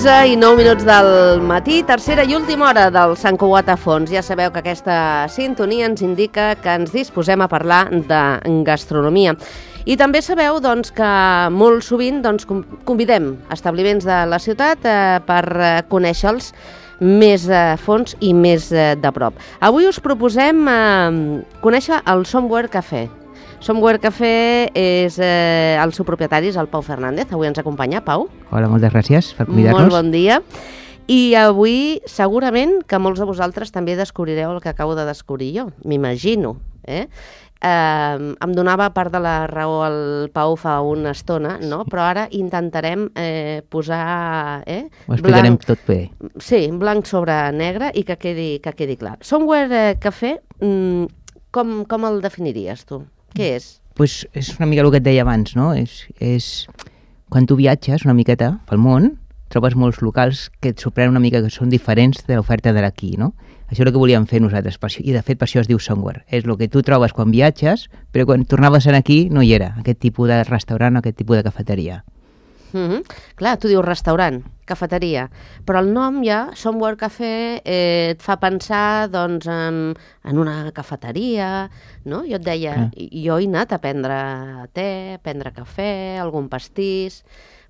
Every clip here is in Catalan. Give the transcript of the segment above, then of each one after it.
11:09 del matí, tercera i última hora del Sant Cugat a fons. Ja sabeu que aquesta sintonia ens indica que ens disposem a parlar de gastronomia. I també sabeu que molt sovint convidem establiments de la ciutat per conèixer-los més a fons i més de prop. Avui us proposem conèixer el Somewhere Café. Somewhere Café és el seu propietari, és el Pau Fernández. Avui ens acompanya, Pau. Hola, moltes gràcies per convidar-nos. Molt bon dia. I avui segurament que molts de vosaltres també descobrireu el que acabo de descobrir jo, m'imagino. Em donava part de la raó el Pau fa una estona, no? Però ara intentarem posar... Ho explicarem tot bé. Sí, blanc sobre negre i que quedi clar. Somewhere Café, com el definiries tu? Què és? Pues és una mica el que et deia abans, no? És quan tu viatges una miqueta pel món, trobes molts locals que et sorprenen una mica, que són diferents de l'oferta de d'aquí, no? Això és el que volíem fer nosaltres, i de fet per això es diu Somewhere. És el que tu trobes quan viatges, però quan tornaves aquí no hi era, aquest tipus de restaurant, aquest tipus de cafeteria. Clar, tu dius restaurant, cafeteria, però el nom ja, Somewhere Café, et fa pensar en una cafeteria, no? Jo et deia, jo he anat a prendre te, a prendre cafè, algun pastís,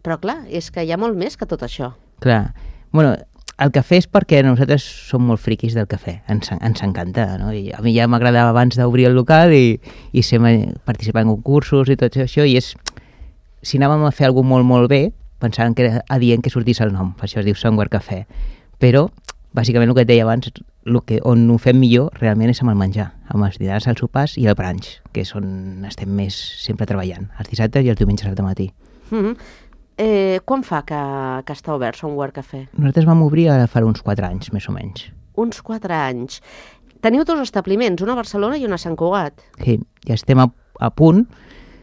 però clar, és que hi ha molt més que tot això. Clar, bueno, el cafè és perquè nosaltres som molt friquis del cafè, ens encanta, no? I a mi ja m'agradava abans d'obrir el local i participar en concursos i tot això, i és... Si anàvem a fer alguna cosa molt bé, pensàvem que era adient que sortís el nom, per això es diu Somewhere Café. Però, bàsicament, el que et deia abans, on ho fem millor realment és amb el menjar, amb els dinars, els sopars i el brunch, que és on estem més sempre treballant, els dissabtes i els diumenges al matí. Quan fa que està obert Somewhere Café? Nosaltres vam obrir ara fa uns 4 anys, més o menys. Uns 4 anys. Teniu 2 establiments, una a Barcelona i una a Sant Cugat. Sí, ja estem a punt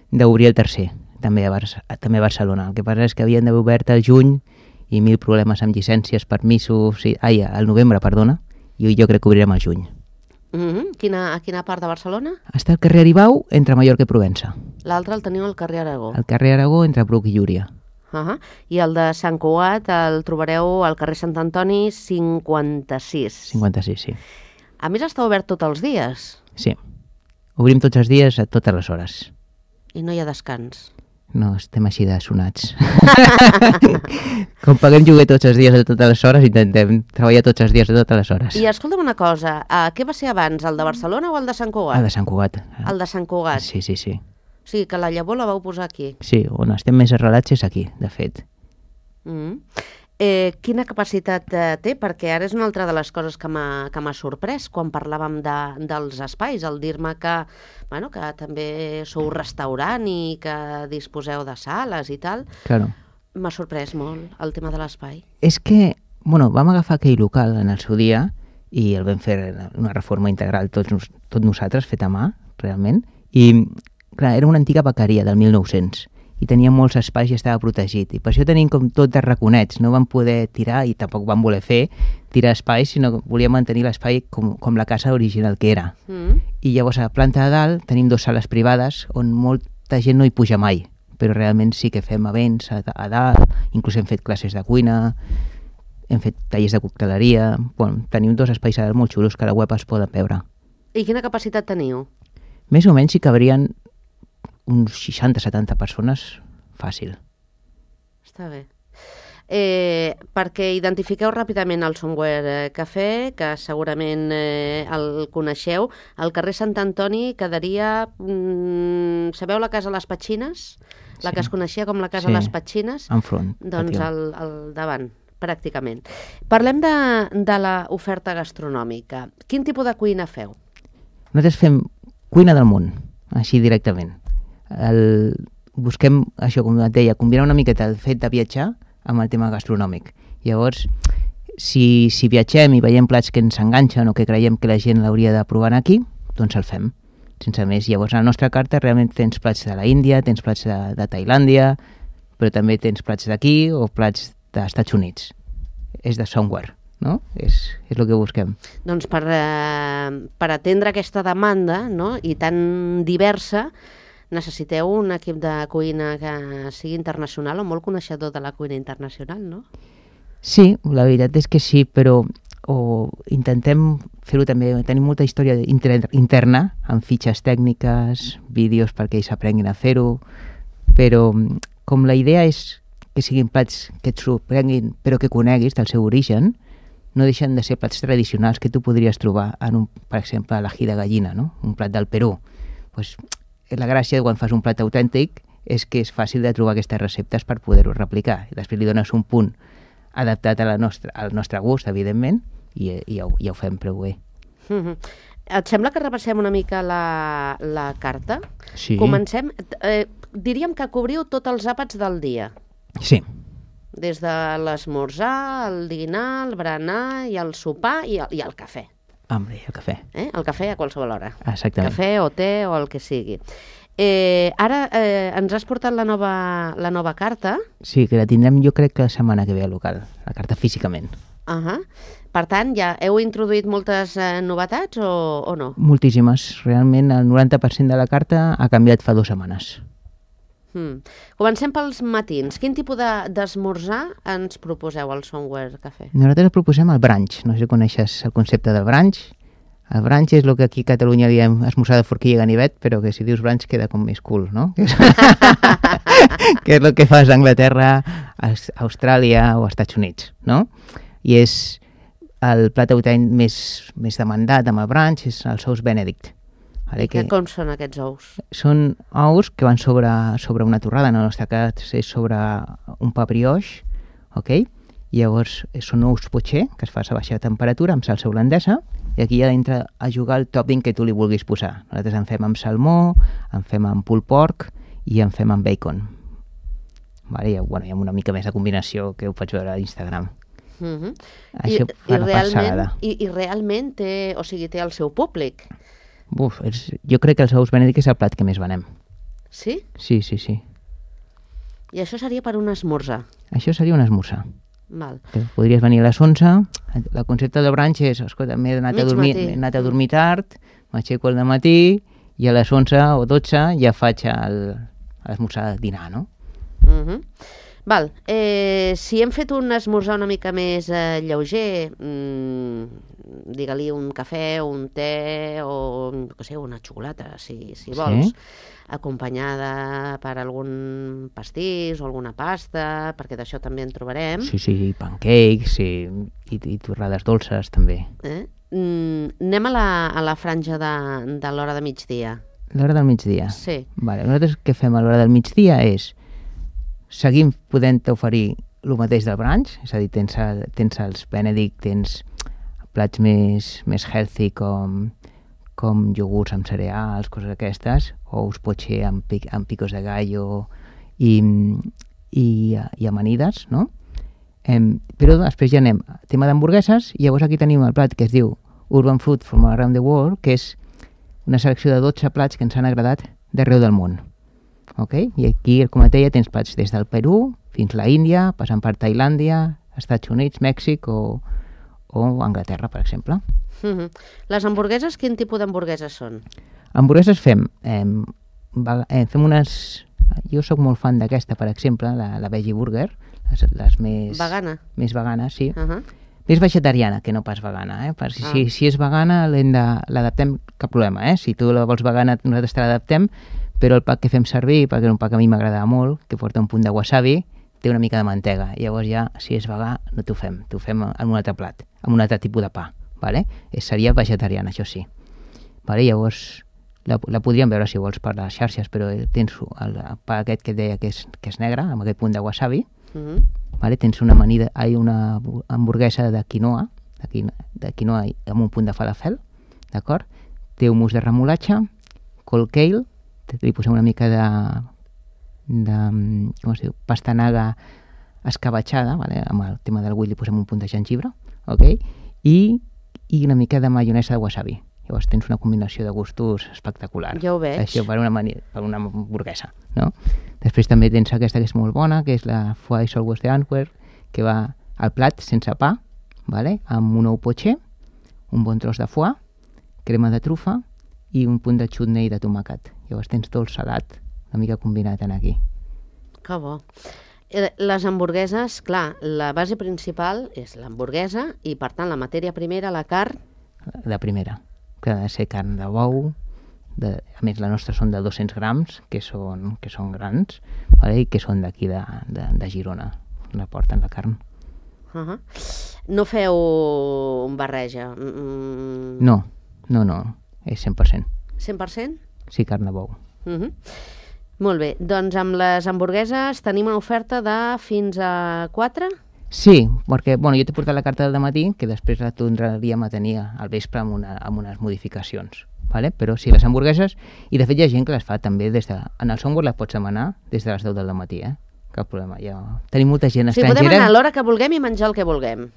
d'obrir el tercer. També a Barcelona. El que passa és que havien d'haver obert al juny i 1000 problemes amb llicències, permisos... al novembre, perdona, i jo crec que obrirem al juny. A quina part de Barcelona? Està al carrer Aribau, entre Mallorca i Provença. L'altre el teniu al carrer Aragó. Al carrer Aragó, entre Bruc i Llúria. I el de Sant Cugat el trobareu al carrer Sant Antoni 56. 56, sí. A més, està obert tots els dies. Sí. Obrim tots els dies a totes les hores. I no hi ha descans. No, estem així de sonats. Com paguem lloguer tots els dies a totes les hores, intentem treballar tots els dies a totes les hores. I escolta'm una cosa, què va ser abans, el de Barcelona o el de Sant Cugat? El de Sant Cugat. El de Sant Cugat? Sí. O sigui, que la llavor la vau posar aquí. Sí, on estem més arrelats és aquí, de fet. Quina capacitat té? Perquè ara és una altra de les coses que m'ha sorprès quan parlàvem dels espais, el dir-me que també sou restaurant i que disposeu de sales i tal. Claro. M'ha sorprès molt el tema de l'espai. És que, vam agafar aquell local en el seu dia i el vam fer una reforma integral tot nosaltres, fet a mà, realment, i clar, era una antiga bequeria del 1900 i tenia molts espais i estava protegit. I per això tenim com tot de raconets. No vam poder tirar, i tampoc vam voler tirar espais, sinó que volíem mantenir l'espai com la casa original que era. I llavors a la planta de dalt tenim 2 sales privades on molta gent no hi puja mai, però realment sí que fem events a dalt, inclús hem fet classes de cuina, hem fet tallers de cocteleria... tenim 2 espais a dalt molt xulos que a la web es poden veure. I quina capacitat teniu? Més o menys hi cabrien uns 60-70 persones, fàcil. Està bé. Perquè identifiqueu ràpidament el Somewhere Café, que segurament el coneixeu. Al carrer Sant Antoni quedaria... Sabeu la casa Les Petxines? La que es coneixia com la casa Les Petxines? Enfront. Doncs al davant, pràcticament. Parlem de l'oferta gastronòmica. Quin tipus de cuina feu? Nosaltres fem cuina del món, així directament. Busquem, això com et deia, combinar una miqueta el fet de viatjar amb el tema gastronòmic. Llavors, si viatgem i veiem plats que ens enganxen o que creiem que la gent l'hauria de provar aquí, doncs el fem, sense més. Llavors, a la nostra carta realment tens plats de la Índia, tens plats de Tailàndia, però també tens plats d'aquí o plats dels Estats Units. És de Somewhere, no? És el que busquem. Doncs per atendre aquesta demanda, no?, i tan diversa, necessiteu un equip de cuina que sigui internacional o molt coneixedor de la cuina internacional, no? Sí, la veritat és que sí, però intentem fer-ho també, tenim molta història interna, amb fitxes tècniques, vídeos perquè ells aprenguin a fer-ho, però com la idea és que siguin plats que et sorprenguin, però que coneguis del seu origen, no deixen de ser plats tradicionals que tu podries trobar en per exemple, a l'ají de gallina, no? Un plat del Perú. Pues, la gràcia de quan fas un plat autèntic és que és fàcil de trobar aquestes receptes per poder-ho replicar. I després li dones un punt adaptat al nostre gust, evidentment, i ja ho fem prou bé. Et sembla que repassem una mica la carta? Sí. Comencem, diríem que cobriu tots els àpats del dia. Sí. Des de l'esmorzar, el dinar, el berenar i el sopar i el cafè. Hombre, el cafè. El cafè a qualsevol hora. Exactament. Cafè o te o el que sigui. Ara ens has portat la nova carta. Sí, que la tindrem jo crec que la setmana que ve al local, la carta físicament. Per tant, ja heu introduït moltes novetats o no? Moltíssimes. Realment el 90% de la carta ha canviat fa 2 setmanes. Comencem pels matins. Quin tipus d'esmorzar ens proposeu al Somewhere Cafè? Nosaltres proposem el brunch. No sé si coneixes el concepte del brunch. El brunch és el que aquí a Catalunya diem esmorzar de forquilla i ganivet, però que si dius brunch queda com més cool, no? Que és el que fas a Anglaterra, a Austràlia o als Estats Units, no? I és el plat autèntic més demandat amb el brunch, és els ous Benedict. Vale, com són aquests ous? Són ous que van sobre una torrada, en el nostre cas és sobre un pa brioix, ok? I llavors són ous poché, que es fa a baixa temperatura, amb salsa holandesa, i aquí ja entra a jugar el topping que tu li vulguis posar. Nosaltres en fem amb salmó, en fem amb pulled pork i en fem amb bacon. Vale? Hi ha una mica més de combinació que ho pots veure a Instagram. Això fa la passada. I realment té el seu públic? Jo crec que els ous Benedict és el plat que més venem. Sí? Sí. I això seria per un esmorzar? Això seria un esmorzar. Val. Podries venir a les 11, el concepte de brunch és, escolta, m'he anat a dormir tard, m'aixeco al dematí i a les 11 o 12 ja faig l'esmorzar de dinar, no? Val. Si hem fet un esmorzar una mica més lleuger, digue-li un cafè, un te o una xocolata, si vols, acompanyada per algun pastís o alguna pasta, perquè d'això també en trobarem. Sí, pancakes i torrades dolces també. Anem a la franja de l'hora de migdia. L'hora del migdia? Sí. Vale. Nosaltres què fem a l'hora del migdia és seguim podent oferir el mateix del brunch, és a dir, tens els Benedict, tens plats més healthy com iogurts amb cereals, coses aquestes, ous poché amb picos de gallo i amanides, no? Però després ja anem a tema d'hamburgueses i llavors aquí tenim el plat que es diu Urban Food from Around the World, que és una selecció de 12 plats que ens han agradat d'arreu del món. Okay? I aquí, com et deia, tens plats des del Perú fins a l'Índia, passant per Tailàndia, Estats Units, Mèxic o Anglaterra, per exemple. Les hamburgueses, quin tipus d'hamburgueses són? Hamburgueses fem unes... Jo sóc molt fan d'aquesta, per exemple, la Veggie Burger, les més... Vegana? Més vegana, sí. Més vegetariana que no pas vegana, si és vegana l'adaptem, cap problema, Si tu la vols vegana, nosaltres te l'adaptem, però el pa que fem servir, perquè és un pa que a mi m'agrada molt, que porta un punt de wasabi, té una mica de mantega. Llavors ja, si és vegà, no t'ho fem en un altre plat, amb un altre tipus de pa. Vale? Seria vegetariana, això sí. Vale? Llavors, la podríem veure, si vols, per les xarxes, però tens el pa aquest que et deia que és negre, amb aquest punt de wasabi. Vale? Tens una hamburguesa de quinoa, amb un punt de falafel, d'acord? Té hummus de remolatge, cold kale, li posem una mica de com es diu, pastanaga escabatxada, vale? Amb el tema del bull li posem un punt de gengibre, okay? I una mica de maionesa de wasabi. Llavors tens una combinació de gustos espectacular. Ja ho veig. Això per una hamburguesa, no? Després també tens aquesta que és molt bona, que és la Foie Southwest d'Antwerp, que va al plat sense pa, vale? Amb un ou poché, un bon tros de foie, crema de trufa i un punt de chutney de tomàquet. Llavors tens dolç salat, una mica combinat en aquí. Que bo. Les hamburgueses, clar, la base principal és l'hamburguesa i, per tant, la matèria primera, la carn... De primera, que ha de ser carn de bou, a més la nostra són de 200 grams, que són grans, vale? I que són d'aquí de Girona, la porten la carn. No feu barreja? No, és 100%. 100%? Sí, carn de bou. Molt bé, doncs amb les hamburgueses tenim una oferta de fins a 4? Sí, perquè jo t'he portat la carta del matí, que després la tornaríem a tenir al vespre amb unes modificacions. Vale? Però sí, les hamburgueses, i de fet hi ha gent que les fa també en el software les pots demanar des de les 10 del matí, cap problema. Tenim molta gent estrangera. Sí, podem anar a l'hora que vulguem i menjar el que vulguem.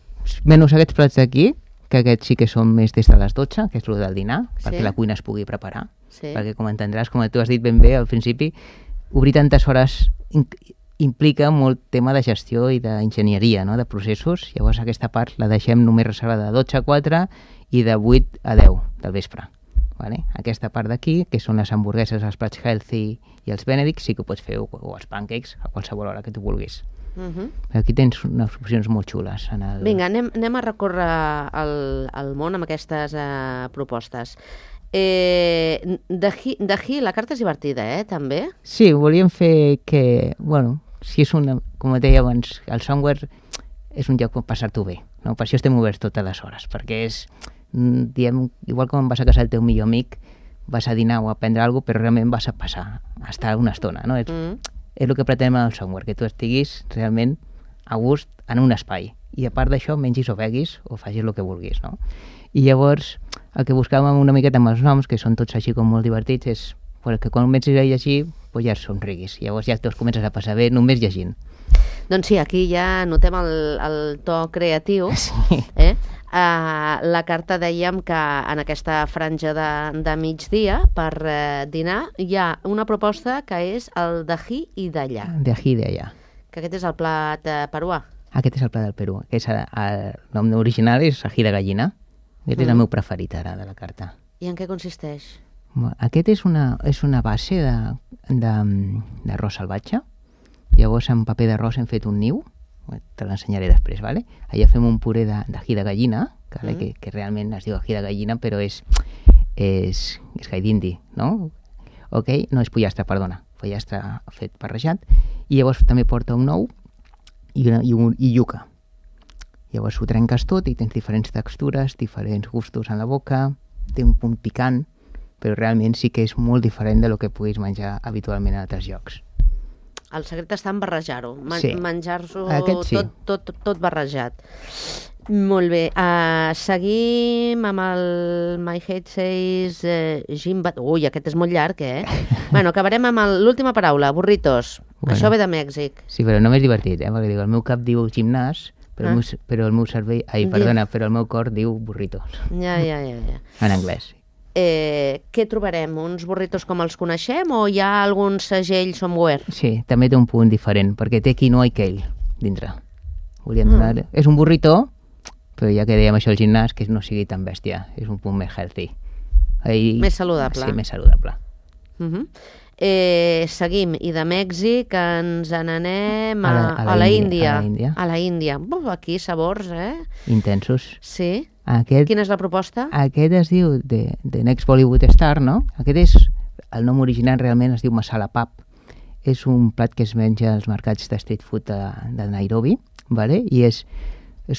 Menys aquests plats d'aquí, que aquests sí que són més des de les 12, que és el del dinar, perquè la cuina es pugui preparar. Perquè, com entendràs, com tu has dit ben bé al principi, obrir tantes hores implica molt tema de gestió i d'enginyeria, no? De processos. Llavors aquesta part la deixem només reservada de 12 a 4 i de 8 a 10 del vespre. Vale? Aquesta part d'aquí, que són les hamburgueses, els plats healthy i els Benedict, sí que ho pots fer, o els pancakes, a qualsevol hora que tu vulguis. Aquí tens unes opcions molt xules. Vinga, anem a recórrer el món amb aquestes propostes. D'aquí la carta és divertida, també? Sí, volíem fer que, si és com et deia abans, el software és un lloc per passar-t'ho bé, no? Per això estem oberts totes les hores, perquè és, igual com vas a casa del teu millor amic, vas a dinar o a prendre alguna cosa, però realment vas a passar, a estar una estona, no? És el que pretenem el software, que tu estiguis realment a gust en un espai. I a part d'això, mengis o beguis o facis el que vulguis, no? I llavors, el que buscàvem una miqueta amb els noms, que són tots així com molt divertits, és que quan comencis a llegir, ja somriguis. Llavors ja te'ls comences a passar bé només llegint. Doncs sí, aquí ja notem el to creatiu. Sí. La carta dèiem que en aquesta franja de migdia per dinar hi ha una proposta que és el d'ají i d'allà. D'ají i d'allà. Que aquest és el plat peruà. Aquest és el plat del Perú. El nom original és ají de gallina. Aquest és el meu preferit ara de la carta. I en què consisteix? Aquest és una base d'arròs salvatge. Llavors amb paper d'arròs hem fet un niu, te l'ensenyaré després, ¿vale? Allà fem un puré d'ají de gallina, que realment es diu ají de gallina, però és gai d'indi, no? No és pollastre, perdona, pollastre fet barrejat, i llavors també porta un ou i iuca. Llavors ho trenques tot i tens diferents textures, diferents gustos en la boca, té un punt picant, però realment sí que és molt diferent del que puguis menjar habitualment a altres llocs. El secret està en barrejar-ho, Sí. menjar-s'ho Sí. tot barrejat. Molt bé, seguim amb el My Head Says Gimbat. Ui, aquest és molt llarg, Bueno, acabarem amb l'última paraula, burritos. Això ve de Mèxic. Sí, però no m'és divertit, perquè diu, el meu cap diu gimnàs, però el meu cervell, però el meu cor diu burritos. Ja. En anglès. Què trobarem? Uns burritos com els coneixem o hi ha algun segell somewhere? Sí, també té un punt diferent, perquè té quinoa i kale dintre. Volíem donar... És un burrito, però ja que dèiem això al gimnàs, que no sigui tan bèstia, és un punt més healthy. Més saludable. Sí, més saludable. Seguim, i de Mèxic ens n'anem a la Índia. A la Índia. Aquí sabors, Intensos. Sí. Quina és la proposta? Aquest es diu The Next Bollywood Star, no? El nom original realment es diu masala pap. És un plat que es menja als mercats de street food de Nairobi, ¿vale? I és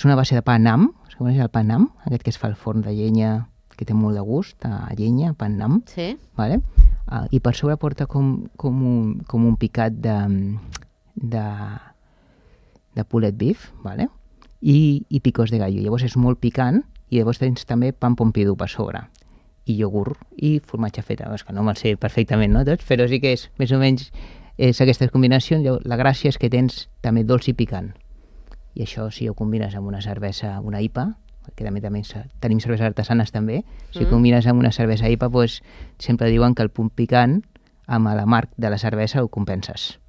una base de pa nam, es coneix el pa nam, aquest que es fa al forn de llenya, que té molt de gust, a llenya, pa nam, sí. ¿vale? I per sobre porta com un picat de pulled beef, ¿vale? I picos de gallo. Llavors és molt picant i llavors tens també pan pompidou per sobre i iogurt i formatge feta. És que no me'l sé perfectament, no, tots, però sí que és més o menys aquestes combinacions. La gràcia és que tens també dolç i picant. I això, si ho combines amb una cervesa, una IPA, perquè també tenim cerveses artesanes també, si combines amb una cervesa IPA, doncs sempre diuen que el punt picant amb l'amarg de la cervesa ho compenses.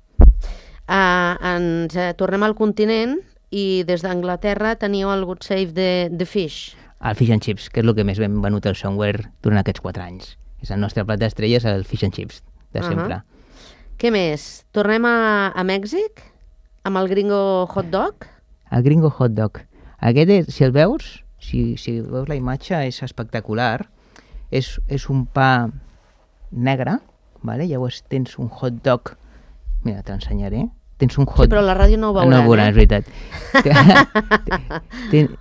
Ens tornem al continent i des d'Anglaterra teniu el Good Save the Fish. El Fish and Chips, que és el que més ben venut al software durant aquests 4 anys. És el nostre plat d'estrella, és el Fish and Chips, de sempre. Què més? Tornem a Mèxic? Amb el gringo hot dog? El gringo hot dog. Aquest, si el veus, si veus la imatge, és espectacular. És un pa negre, vale? Llavors tens un hot dog. Mira, t'ensenyaré. Tens un hot... Sí, però la ràdio no ho veuran, no ho veuran, és veritat.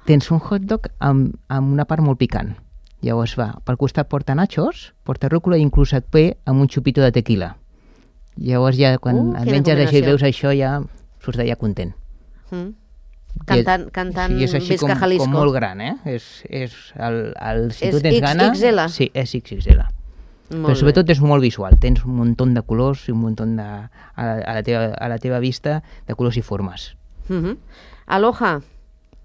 Tens un hot dog amb una part molt picant. Llavors pel costat porta nachos, porta rúcula i inclús et ve amb un xupito de tequila. Llavors ja quan et menges això i veus això ja surts d'allà content. Cantant sí, és així Visca Jalisco. com molt gran, si És tu tens gana... XXL? Sí, és XXL. Però sobretot és molt visual, tens un munt de colors i un munt de, a la teva vista de colors i formes. Aloha,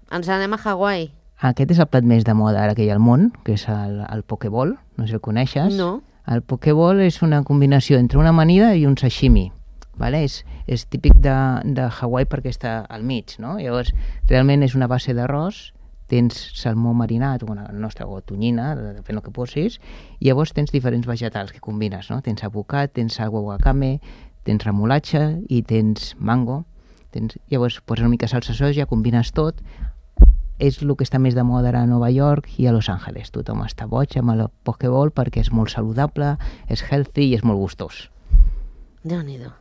ens anem a Hawaii. Aquest és el plat més de moda ara que hi ha al món, que és el pokeball, no sé si el coneixes. No. El pokeball és una combinació entre una amanida i un sashimi. Vale? És típic de Hawaii perquè està al mig, no? Llavors, realment és una base d'arròs, tens salmó marinat, o tonyina, depèn del que posis, i llavors tens diferents vegetals que combines, no? Tens avocat, tens agua wakame, tens remolatxa i tens mango. Llavors poses una mica salsa soja, combines tot. És el que està més de moda ara a Nova York i a Los Angeles. Tothom està boig amb el pokeball perquè és molt saludable, és healthy i és molt gustós. Déu-n'hi-do.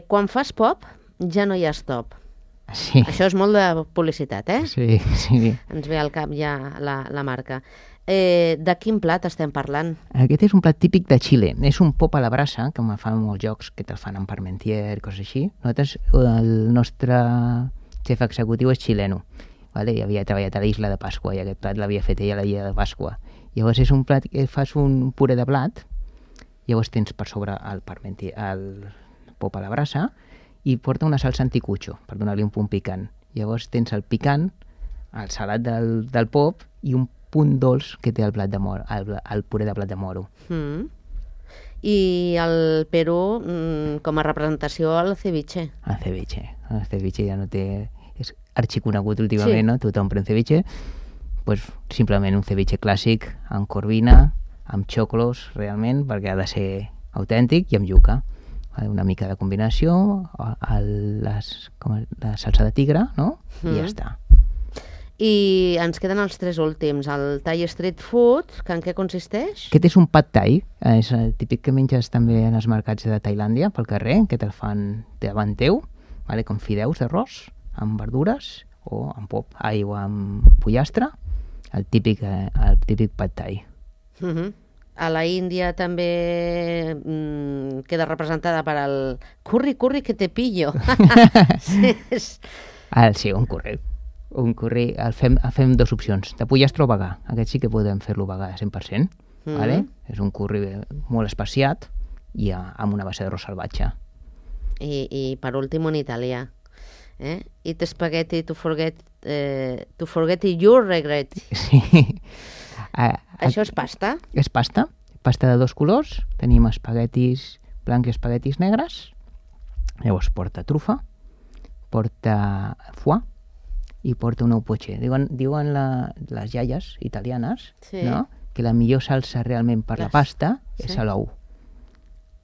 Quan fas pop, ja no hi ha stop. Sí. Això és molt de publicitat, Sí. Ens ve al cap ja la marca. De quin plat estem parlant? Aquest és un plat típic de Xile. És un pop a la brasa, que fan molts jocs que te'l fan amb parmentier i coses així. Nosaltres, el nostre xef executiu és xileno. Vale? I havia treballat a la Isla de Pasqua i aquest plat l'havia fet ella a la Isla de Pasqua. Llavors és un plat que fas un puré de blat, llavors tens per sobre el pop a la brasa i porta una salsa anticucho per donar-li un punt picant. Llavors tens el picant, el salat del pop i un punt dolç que té el puré de blat de moro. I el Perú, com a representació, el ceviche. El ceviche ja no té... És arxiconegut últimament, no? Tothom pren ceviche. Pues, simplement un ceviche clàssic amb corvina, amb xoclos, realment, perquè ha de ser autèntic, i amb yuca. Una mica de combinació, la salsa de tigre, no? I ja està. I ens queden els 3 últims. El Thai Street Food, que en què consisteix? Aquest és un pad thai, és el típic que menges també en els mercats de Tailàndia, pel carrer, que te'l fan davant teu, com fideus d'arròs, amb verdures, o amb pop, o amb pollastre, el típic pad thai. A la Índia també queda representada per el curri que te pillo. Sí, un curri. Un curri, el fem 2 opcions, de pollastre o vegà. Aquest sí que podem fer-lo vegà 100%. Vale? És un curri molt especiat i amb una base d'arròs salvatge. I per últim un italià. Eat spaghetti to forget you regret. Sí. Això és pasta? És pasta de 2 colors. Tenim espaguetis blancs i espaguetis negres. Llavors porta trufa, porta foie i porta un ou poché. Diuen les iaies italianes, no? Que la millor salsa realment per la pasta és l'ou.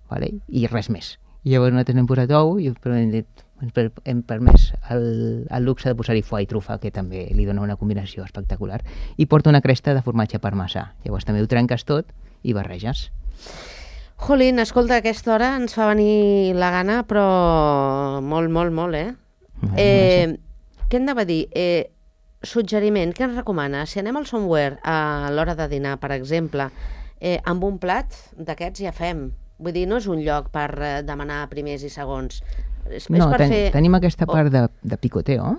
Vale? I res més. I llavors nosaltres hem posat ou i hem permès el luxe de posar-hi foie i trufa, que també li dona una combinació espectacular. I porta una cresta de formatge parmesà. Llavors també ho trenques tot i barreges. Jolín, escolta, a aquesta hora ens fa venir la gana, però molt, què hem de dir? Suggeriment, què ens recomana? Si anem al Somewhere a l'hora de dinar, per exemple, amb un plat d'aquests ja fem. Vull dir, no és un lloc per demanar primers i segons. Tenim aquesta part de picoteo.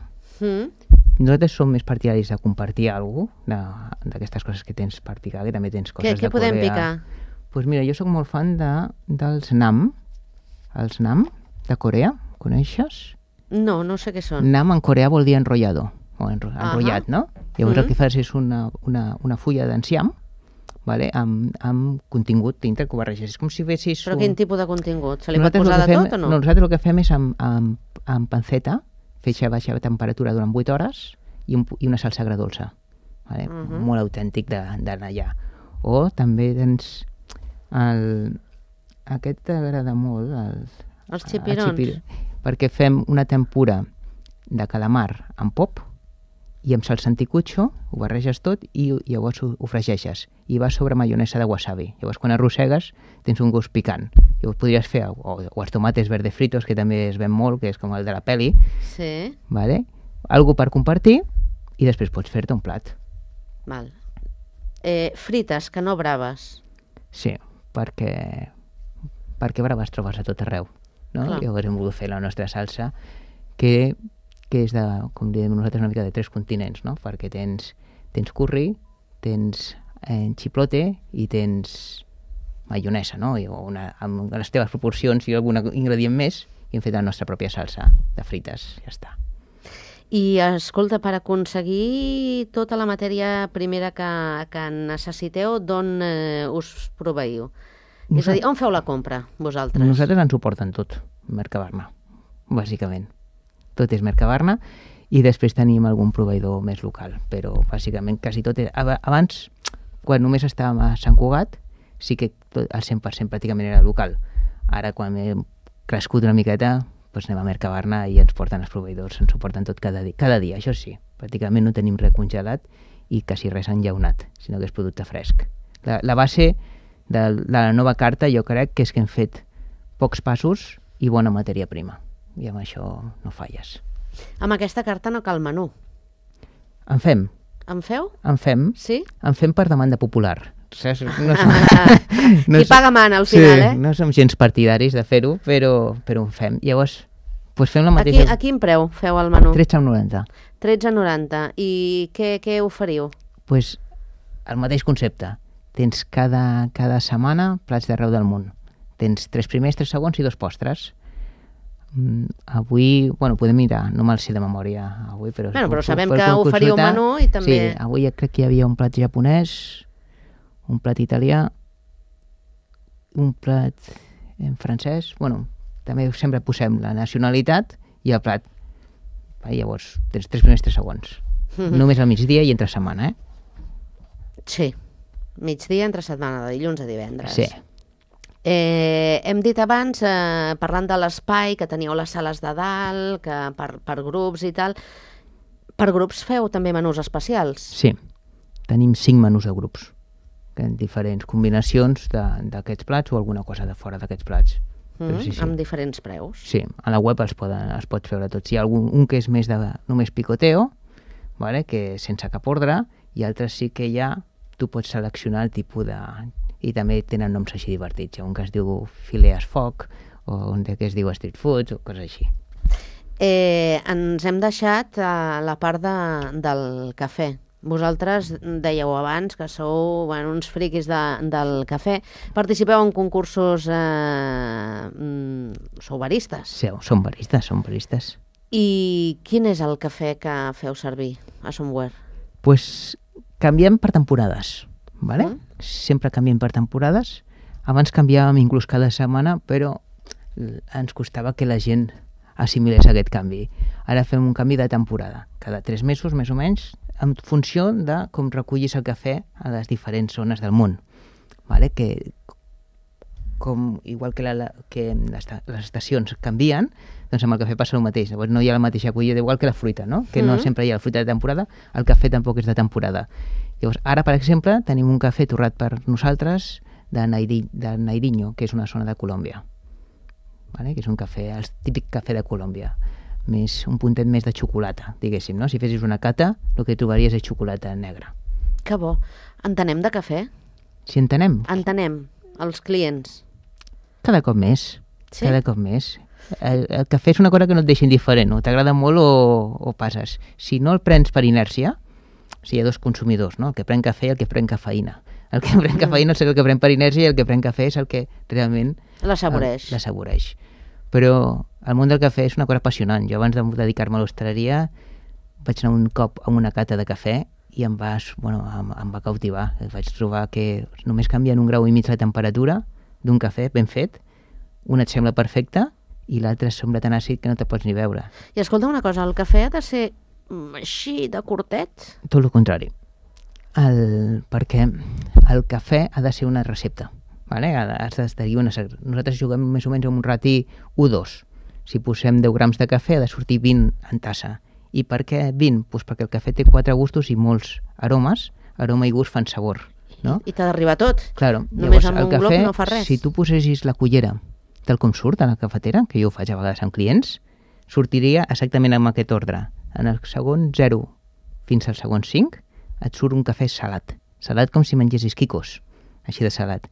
Nosaltres som més partidaris de compartir alguna cosa, d'aquestes coses que tens per picar, que també tens coses de Corea. Què podem picar? Doncs mira, jo sóc molt fan dels nam. Els nam de Corea, coneixes? No sé què són. Nam en coreà vol dir enrotllado, o enrotllat, no? Llavors el que fas és una fulla d'enciam, vale? amb contingut dintre que ho barreges. És com si fessis... Però quin tipus de contingut? Se li pot posar de tot o no? Nosaltres el que fem és amb panceta, fetge a baixa temperatura durant 8 hores i una salsa agredolça. Vale? Molt autèntic d'anar allà. O també tens aquest t'agrada molt, els xipirons. perquè fem una tempura de calamar amb pop i amb salsa anticucho, ho barreges tot i llavors ho fregeixes i va sobre maionesa de wasabi. Llavors quan arrossegues tens un gust picant. Llavors podries fer o els tomates verde fritos, que també es ven molt, que és com el de la peli. Sí. Vale? Algo per compartir i després pots fer-te un plat. Val. Frites, que no braves. Sí, perquè braves trobes a tot arreu. No? Llavors hem volgut fer la nostra salsa que és de, com diem nosaltres, una mica de 3 continents, no? Perquè tens curri, tens xiplote i tens maionesa, no? Amb les teves proporcions i algun ingredient més, i hem fet la nostra pròpia salsa de frites, ja està. I, escolta, per aconseguir tota la matèria primera que necessiteu, d'on us proveiu? És a dir, on feu la compra, vosaltres? Nosaltres ens ho porten tot, Mercabarna, bàsicament. Tot és Mercabarna i després tenim algun proveïdor més local, però bàsicament quasi tot és... Abans, quan només estàvem a Sant Cugat, sí que el 100% pràcticament era local. Ara, quan hem crescut una miqueta, doncs anem a Mercabarna i ens porten els proveïdors, ens ho porten tot cada dia, això sí. Pràcticament no tenim res congelat i quasi res enllaunat, sinó que és producte fresc. La base de la nova carta jo crec que és que hem fet pocs passos i bona matèria prima. I amb això no falles. Amb aquesta carta no cal menú. En fem. En feu? En fem. Sí? En fem per demanda popular. Qui paga mana al final, sí, no som gens partidaris de fer-ho, però en fem. Llavors, doncs fem la mateixa... A quin preu feu el menú? 13,90. 13,90. I què oferiu? Doncs el mateix concepte. Tens cada setmana plats d'arreu del món. Tens 3 primers, 3 segons i 2 postres. Avui, podem mirar, no me'l sé de memòria avui, però sabem que oferiu un menú i també... Sí, avui crec que hi havia un plat japonès, un plat italià, un plat en francès, també sempre posem la nacionalitat i el plat. Llavors, tens 3 primers, 3 segons. Només al migdia i entre setmana, Sí, migdia entre setmana, de dilluns a divendres. Sí. Hem dit abans, parlant de l'espai, que teníeu les sales de dalt, que per grups i tal. Per grups feu també menús especials? Sí, tenim 5 menús de grups, diferents combinacions d'aquests plats o alguna cosa de fora d'aquests plats. Sí. Amb diferents preus? Sí, a la web els pots veure tots. Hi ha un que és més de només picoteo, que sense cap ordre, i altres sí que tu pots seleccionar el tipus de... I també tenen noms així divertits. Un que es diu filees foc, o un que es diu street food, o coses així. Ens hem deixat la part del cafè. Vosaltres dèieu abans que sou uns friquis del cafè. Participeu en concursos... Sou baristes? Sí, som baristes. I quin és el cafè que feu servir a Somewhere? Doncs canviem per temporades, ¿vale? Sempre canviem per temporades. Abans canviàvem inclús cada setmana, però ens costava que la gent assimilés aquest canvi. Ara fem un canvi de temporada, cada 3 mesos més o menys, en funció de com recollis el cafè a les diferents zones del món. ¿Vale? Igual que les estacions canvien, doncs amb el cafè passa el mateix. Llavors no hi ha la mateixa collida, igual que la fruita, no? Que no sempre hi ha la fruita de temporada, el cafè tampoc és de temporada. Llavors, ara, per exemple, tenim un cafè torrat per nosaltres de Nairinho, que és una zona de Colòmbia. ¿Vale? Que és un cafè, el típic cafè de Colòmbia. Un puntet més de xocolata, diguéssim, no? Si fessis una cata, el que trobaries és xocolata negra. Que bo. Entenem de cafè? Si entenem? Entenem, els clients. Cada cop més. Sí? Cada cop més. El cafè és una cosa que no et deixa indiferent, o t'agrada molt o passes. Si no el prens per inèrcia, hi ha 2 consumidors, no? El que pren cafè i el que pren cafeïna. El que pren cafeïna és el que pren per inèrcia i el que pren cafè és el que realment l'assaboreix. Però el món del cafè és una cosa apassionant. Jo abans de dedicar-me a l'hostaleria vaig anar un cop a una cata de cafè i em va cautivar. Vaig trobar que només canviant 1,5 graus la temperatura d'un cafè ben fet, un et sembla perfecte i l'altre sembla tan àcid que no te pots ni veure. I escolta una cosa, el cafè ha de ser així de curtet? Tot el contrari. Perquè el cafè ha de ser una recepta. ¿Vale? Nosaltres juguem més o menys amb un rati 1:2. Si posem 10 grams de cafè ha de sortir 20 en tassa. I per què 20? Pues perquè el cafè té 4 gustos i molts aromes. Aroma i gust fan sabor. No? I t'ha d'arribar tot. Claro. Només Llavors, amb un glob no fa res. Si tu posessis la cullera tal com surt a la cafetera, que jo ho faig a vegades amb clients, sortiria exactament amb aquest ordre. En el segon 0 fins al segon 5 et surt un cafè salat. Salat com si mengessis quicos, així de salat.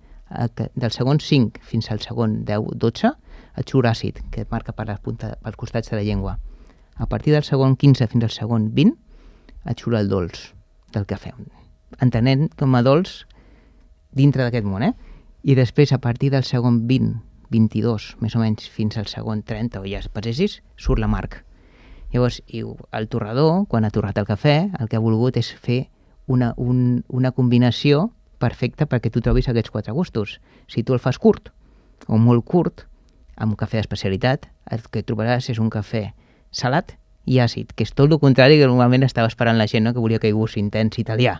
Del segon 5 fins al segon 10-12 et surt àcid, que et marca per la punta, pels costats de la llengua. A partir del segon 15 fins al segon 20 et surt el dolç del cafè. Entenent com a dolç dintre d'aquest món, I després, a partir del segon 20, 22, més o menys, fins al segon 30, o ja passessis, surt l'amarg. Llavors, el torrador, quan ha torrat el cafè, el que ha volgut és fer una combinació perfecta perquè tu trobis aquests 4 gustos. Si tu el fas curt o molt curt, amb un cafè d'especialitat, el que trobaràs és un cafè salat i àcid, que és tot el contrari que normalment estava esperant la gent, no? Que volia que hi gust intens italià.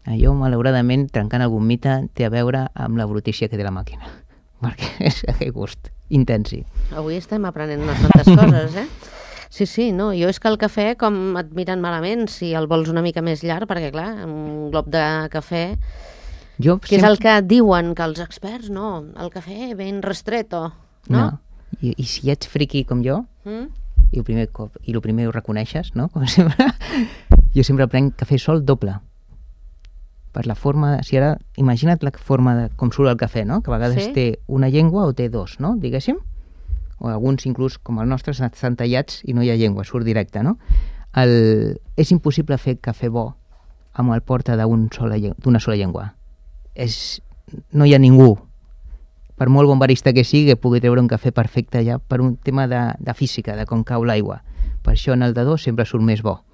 Allò, malauradament, trencant algun mite, té a veure amb la brutícia que té la màquina, perquè és aquell gust intensi. Avui estem aprenent unes quantes coses, Sí, no, jo és que el cafè, com et miren malament si el vols una mica més llarg, perquè clar, un glob de cafè, que és el que diuen que els experts, no, el cafè ben restreto, no? I si ets friqui com jo, i el primer ho reconeixes, no? Com sempre, jo sempre prenc cafè sol doble. Per la forma, si ara, imagina't la forma de com surt el cafè, no? Que a vegades té una llengua o té 2, no? Diguéssim. O alguns inclús, com el nostre, estan tallats i no hi ha llengua, surt directe, no? És impossible fer cafè bo amb el porta d'una sola llengua. No hi ha ningú, per molt bon barista que sigui, que pugui treure un cafè perfecte ja per un tema de física, de com cau l'aigua. Per això en el de 2 sempre surt més bo.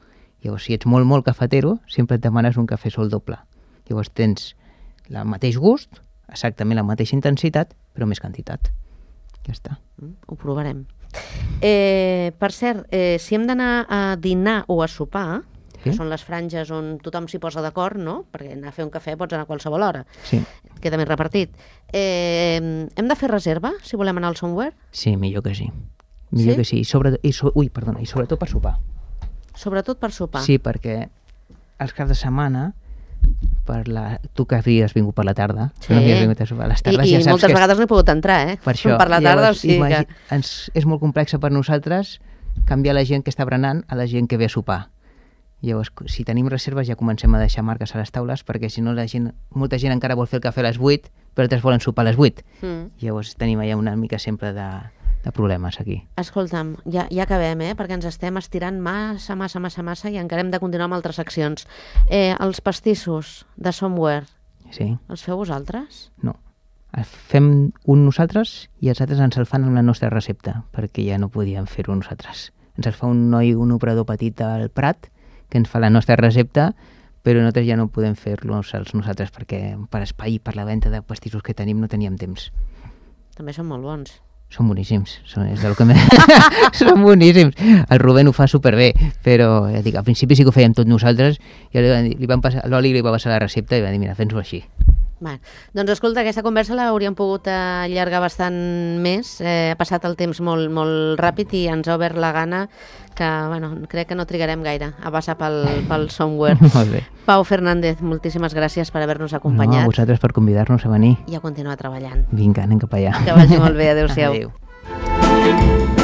Llavors, si ets molt cafetero, sempre et demanes un cafè sol doble. Llavors tens el mateix gust, exactament la mateixa intensitat, però més quantitat. Ja està. Ho provarem. Per cert, si hem d'anar a dinar o a sopar, que són les franges on tothom s'hi posa d'acord, no? Perquè anar a fer un cafè pots anar a qualsevol hora. Sí. Queda més repartit. Hem de fer reserva, si volem anar al Somewhere? Sí, millor que sí. Millor que sí. I sobretot per sopar. Sobretot per sopar. Sí, perquè els caps de setmana, tu que havies vingut per la tarda, no havies vingut a sopar a les tardes, I moltes vegades no he pogut entrar, per això, per la tarda, llavors, és molt complex per nosaltres canviar la gent que està berenant a la gent que ve a sopar. Llavors, si tenim reserves ja comencem a deixar marques a les taules, perquè si no molta gent encara vol fer el cafè a les 8, però altres volen sopar a les 8. Llavors tenim allà una mica sempre de problemes aquí. Escolta'm, ja acabem, perquè ens estem estirant massa i encara hem de continuar amb altres seccions. Els pastissos de Somewhere, els feu vosaltres? No. Fem un nosaltres i els altres ens el fan amb la nostra recepta, perquè ja no podíem fer-ho nosaltres. Ens el fa un operador petit al Prat, que ens fa la nostra recepta, però nosaltres ja no podem fer-lo nosaltres, perquè per espai i per la venda de pastissos que tenim no teníem temps. També són molt bons. Són boníssims, són boníssims. El Rubén ho fa superbé, però ja dic, al principi sí que ho fèiem tot nosaltres, i l'Oli li va passar la recepta i va dir, mira, fes-ho així. Doncs escolta, aquesta conversa l'hauríem pogut allargar bastant més, ha passat el temps molt, molt ràpid i ens ha obert la gana que, crec que no trigarem gaire a passar pel Somewhere. Molt bé. Pau Fernández, moltíssimes gràcies per haver-nos acompanyat. A vosaltres per convidar-nos a venir. I a continuar treballant. Vinga, anem cap allà. Que vagi molt bé, adéu-siau. Adéu.